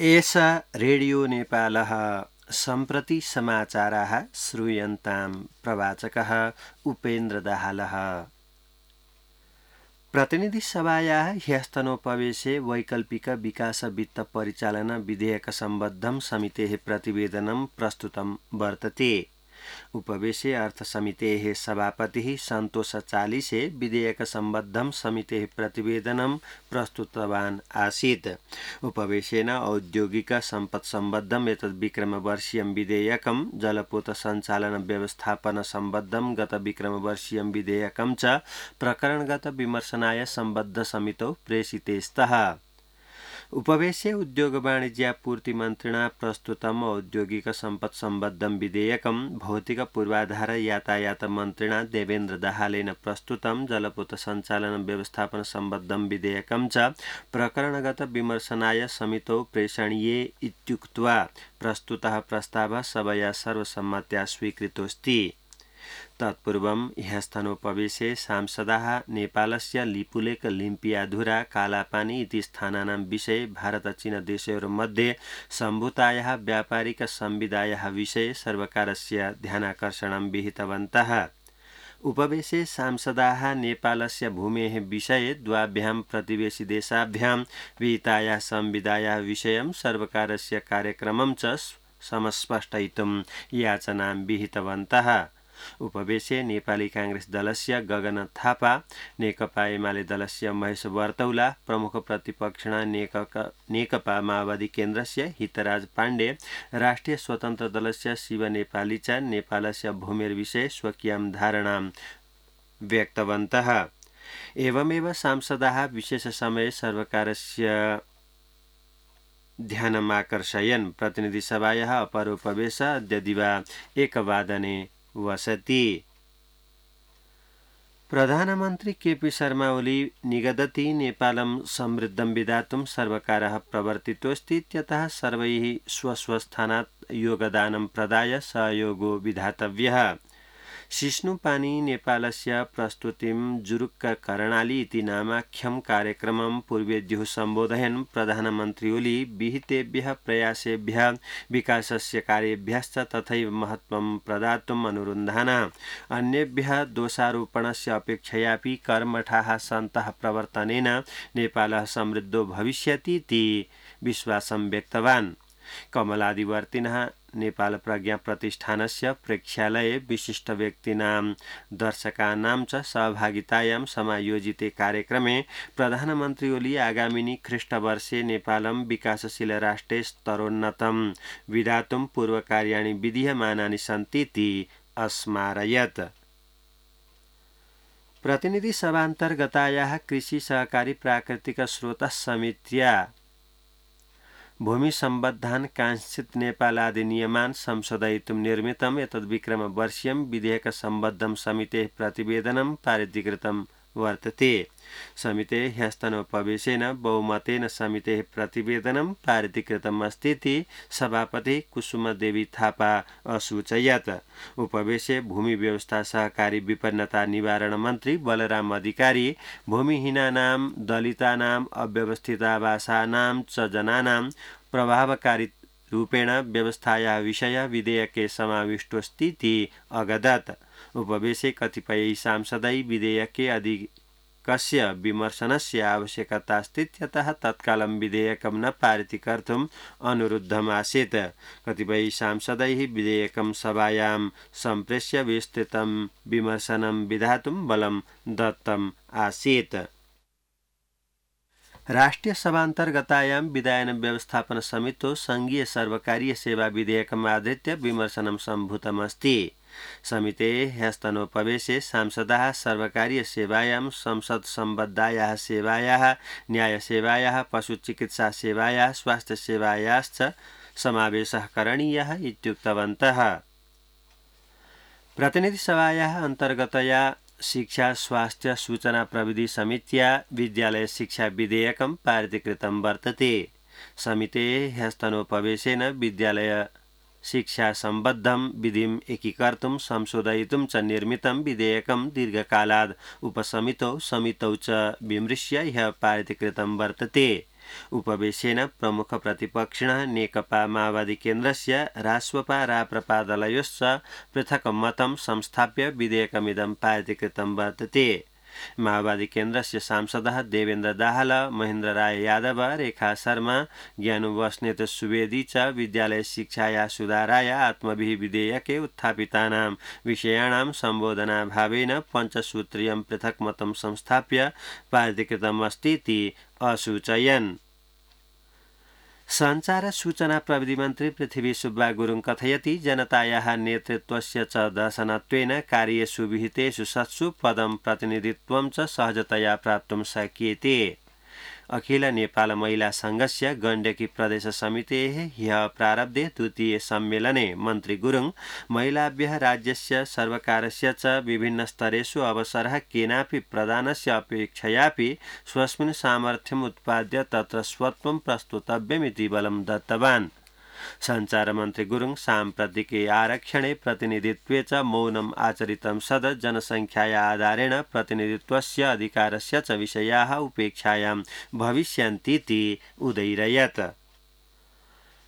एषा रेडियो नेपालः सम्प्रति समाचाराः श्रूयन्तां प्रवाचकः उपेन्द्र दाहालः। प्रतिनिधिसभायाः ह्यस्तनोपवेशे वैकल्पिक विकास वित्त परिचालन विधेयक सम्बद्धं समितेः प्रतिवेदनं प्रस्तुतं वर्तते। उपवेशे अर्थसमितेः सभापतिः सन्तोष चालिसे विधेयक सम्बद्धं समितेः प्रतिवेदनं प्रस्तुतवान् आसीत्। उपवेशेन औद्योगिक सम्पत् सम्बद्धं एतद् विक्रमवर्षीयं विधेयकं जलपोत सञ्चालन व्यवस्थापन सम्बद्धं गत विक्रमवर्षीयं विधेयकं च प्रकरणगत विमर्शनाय सम्बद्ध समितौ प्रेषिते स्तः। उपवेशे उद्योग वाणिज्यापूर्ति मन्त्रिणा प्रस्तुतम् औद्योगिक सम्पत् सम्बद्धं विधेयकं भौतिक पूर्वाधार यातायात मन्त्रिणा देवेन्द्र दाहालेन प्रस्तुतं जलपोत सञ्चालन व्यवस्थापन सम्बद्धं विधेयकं च प्रकरणगत विमर्शनाय समितौ प्रेषणीये इत्युक्त्वा प्रस्तुतः प्रस्तावः सभया सर्वसम्मत्या स्वीकृतोऽस्ति। तत्पूर्वं ह्यस्तनोपवेशे सांसदाः नेपालस्य लिपुलेख लिम्पियाधुरा कालापानी इति स्थानानां विषये भारत-चीन देशयोर्मध्ये सम्भूतायाः व्यापारिक संविदायाः विषये सर्वकारस्य ध्यानाकर्षणं विहितवन्तः। उपवेशे सांसदाः नेपालस्य भूमेः विषये द्वाभ्यां प्रतिवेशि देशाभ्यां विहितायाः संविदायाः विषयं सर्वकारस्य कार्यक्रमं च समस्पष्टयितुं याचनां विहितवन्तः। उपवेशे नेपाली कांग्रेस दलस्य गगन थापा, नेकपा एमाले दलस्य महेश वर्तौला, प्रमुख प्रतिपक्षिणा नेकपा माओवादी केन्द्रस्य हितराज पाण्डे, राष्ट्रिय स्वतन्त्र दलस्य शिव नेपाली च नेपालस्य भूमिर्विषये स्वकीयां धारणां व्यक्तवन्तः। एवमेव सांसदाः विशेष समये सर्वकारस्य ध्यानमाकर्षयन् प्रतिनिधिसभायाः अपरोपवेशः अद्य दिवा 1 वादने वसति। प्रधानमन्त्री केपी शर्मा ओली निगदति नेपालं समृद्धं विधातुं सर्वकारः प्रवर्तितोऽस्ति इत्यतः सर्वैः स्वस्वस्थानात् योगदानं प्रदाय सहयोगो विधातव्यः। शिष्णुपानी नेपालस्य प्रस्तुतिं जुरुक्क करणाली इति नामाख्यं कार्यक्रमं पूर्वेद्युः सम्बोधयन् प्रधानमन्त्री ओली विहितेभ्यः प्रयासेभ्यः विकासस्य कार्येभ्यश्च तथैव महत्त्वं प्रदातुम् अनुरुन्धाना अन्येभ्यः दोषारोपणस्य अपेक्षयापि कर्मठाः सन्तः प्रवर्तनेन नेपालः समृद्धो भविष्यति इति विश्वासं व्यक्तवान्। कमलादिवर्तिनः नेपाल प्रज्ञा प्रतिष्ठानस्य प्रेक्षालये विशिष्ट व्यक्तीनां दर्शकानां च सहभागितायां समायोजिते कार्यक्रमे प्रधानमन्त्री ओली आगामिनि ख्रीष्टवर्षे नेपालं विकासशील राष्ट्रे स्तरोन्नतं विधातुं पूर्वकार्याणि विधीयमानानि सन्ति इति अस्मारयत्। प्रतिनिधिसभान्तर्गतायाः कृषि सहकारी प्राकृतिक स्रोतः समित्या भूमि सम्बद्धान् कांश्चित् नेपालादिनियमान् संशोधयितुं निर्मितम् एतद् विक्रमवर्षीयं विधेयक सम्बद्धं समितेः प्रतिवेदनं पारितीकृतं वर्तते। समितेः ह्यस्तनोपवेशेन बहुमतेन समितेः प्रतिवेदनं पारितीकृतम् अस्ति इति सभापतिः कुसुमदेवी थापा असूचयत्। उपवेशे भूमि व्यवस्था सहकारी विपन्नता निवारण मन्त्री बलराम अधिकारी भूमिहीनानां दलितानां अव्यवस्थितावासानां च जनानां प्रभावकारी रूपेण व्यवस्थायाः विषयः विधेयके समाविष्टोऽस्ति इति अगदत्। उपवेशे कतिपय सांसदै विधेयके अधिकस्य विमर्शनस्य आवश्यकता अस्ति इत्यतः तत्कालं विधेयकं न पारितीकर्तुम् अनुरुद्धम् आसीत्। कतिपय सांसदैः विधेयकं सभायां सम्प्रेष्य विस्तृतं विमर्शनं विधातुं बलं दत्तम् आसीत्। राष्ट्रिय सभान्तर्गतायां विधायन व्यवस्थापन समितौ संघीय सर्वकारीय सेवा विधेयकम् आधृत्य विमर्शनं सम्भूतमस्ति। समितेः ह्यस्तनोपवेशे सांसदाः सर्वकारीय सेवायां संसद सम्बद्धायाः सेवायाः न्यायसेवायाः पशुचिकित्सा सेवायाः स्वास्थ्य सेवायाश्च समावेशः करणीयः इत्युक्तवन्तः। प्रतिनिधिसभायाः अन्तर्गतया शिक्षा स्वास्थ्य सूचना प्रविधि समित्या विद्यालय शिक्षा विधेयकं पारितीकृतं वर्तते। समितेः ह्यस्तनोपवेशेन विद्यालय शिक्षा सम्बद्धं विधिम् एकीकर्तुं संशोधयितुं च निर्मितं विधेयकं दीर्घकालाद् उपसमितौ समितौ च विमृश्य ह्यः पारितीकृतं वर्तते। उपवेशेन प्रमुख प्रतिपक्षिणः नेकपा माओवादी केन्द्रस्य रासपा राप्रपा दलयोश्च पृथक् मतं संस्थाप्य विधेयकमिदं पारितीकृतं वर्तते। माओवादी केन्द्रस्य सांसदः देवेन्द्र दाहाल, महेन्द्र राय यादव, रेखा शर्मा, ज्ञानु बस्नेत सुवेदी च विद्यालय शिक्षाया सुधाराय आत्मभिः विधेयके उत्थापितानां विषयाणां सम्बोधनाभावेन पञ्चसूत्रीयं पृथक् मतं संस्थाप्य पारितीकृतमस्तीति असूचयन्। सञ्चार सूचना प्रविधि मन्त्री पृथ्वी सुब्बा गुरुङ कथयति जनतायाः नेतृत्वस्य च दर्शनत्वेन कार्येषु विहितेषु सत्सु पदं प्रतिनिधित्वं च सहजतया प्राप्तुं शक्यते। अखिल नेपाल महिला संघस्य गण्डकी प्रदेश समितेः ह्यः प्रारब्धे द्वितीय सम्मेलने मन्त्री गुरुङ महिलाभ्यः राज्यस्य सर्वकारस्य च विभिन्नस्तरेषु अवसरः केनापि प्रदानस्य अपेक्षयापि स्वस्मिन् सामर्थ्यम् उत्पाद्य तत्र स्वत्वं प्रस्तुतव्यमिति बलं दत्तवान्। सञ्चार मन्त्री गुरुङ साम्प्रतिके आरक्षणे प्रतिनिधित्वे च मौनम् आचरितं सद जनसङ्ख्याया आधारेण प्रतिनिधित्वस्य अधिकारस्य च विषयाः उपेक्षायां भविष्यन्तीति उदैरयत्।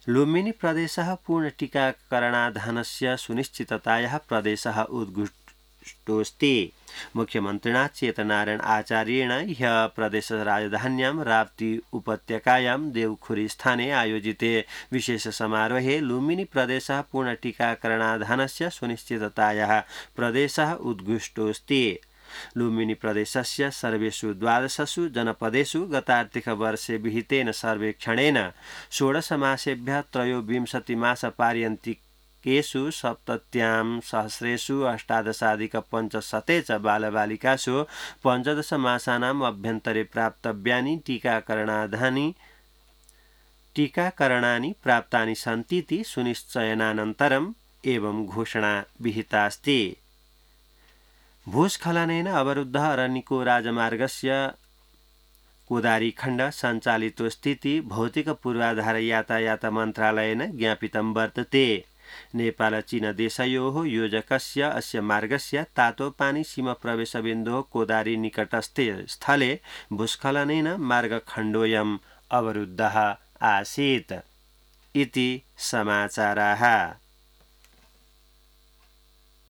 लुम्बिनी प्रदेशः पूर्ण टीकाकरणाधानस्य सुनिश्चिततायाः प्रदेशः उद्घुष्टोऽस्ति। मुख्यमन्त्रिणा चेतनारायण आचार्येण ह्यः प्रदेश राजधान्यां राप्ती उपत्यकायां देवखुरी स्थाने आयोजिते विशेष समारोहे लुम्बिनी प्रदेशः पूर्ण टीकाकरणाधानस्य सुनिश्चिततायाः प्रदेशः उद्घुष्टोऽस्ति। लुम्बिनी प्रदेशस्य सर्वेषु 12 जनपदेषु गतार्थिकवर्षे विहितेन सर्वेक्षणेन 16 मासेभ्यः 23 मासपर्यन्तिकेषु 70 सहस्रेषु 18,500 च बालबालिकासु 15 मासानाम् अभ्यन्तरे प्राप्तव्यानि टीकाकरणानि प्राप्तानि सन्तीति सुनिश्चयनानन्तरम् एवं घोषणा विहितास्ति। भूस्खलनेन अवरुद्धः अरण्यको राजमार्गस्य कोदारी खण्ड सञ्चालितो स्थिति भौतिक पूर्वाधार यातायात मन्त्रालयेन ज्ञापितं वर्तते। नेपाल चीन देशयोः योजकस्य अस्य मार्गस्य तातोपानी सीमा प्रवेशबिन्दुः कोदारी निकटस्थे स्थले भूस्खलनेन मार्गखण्डोऽयम् अवरुद्धः आसीत् इति समाचाराः।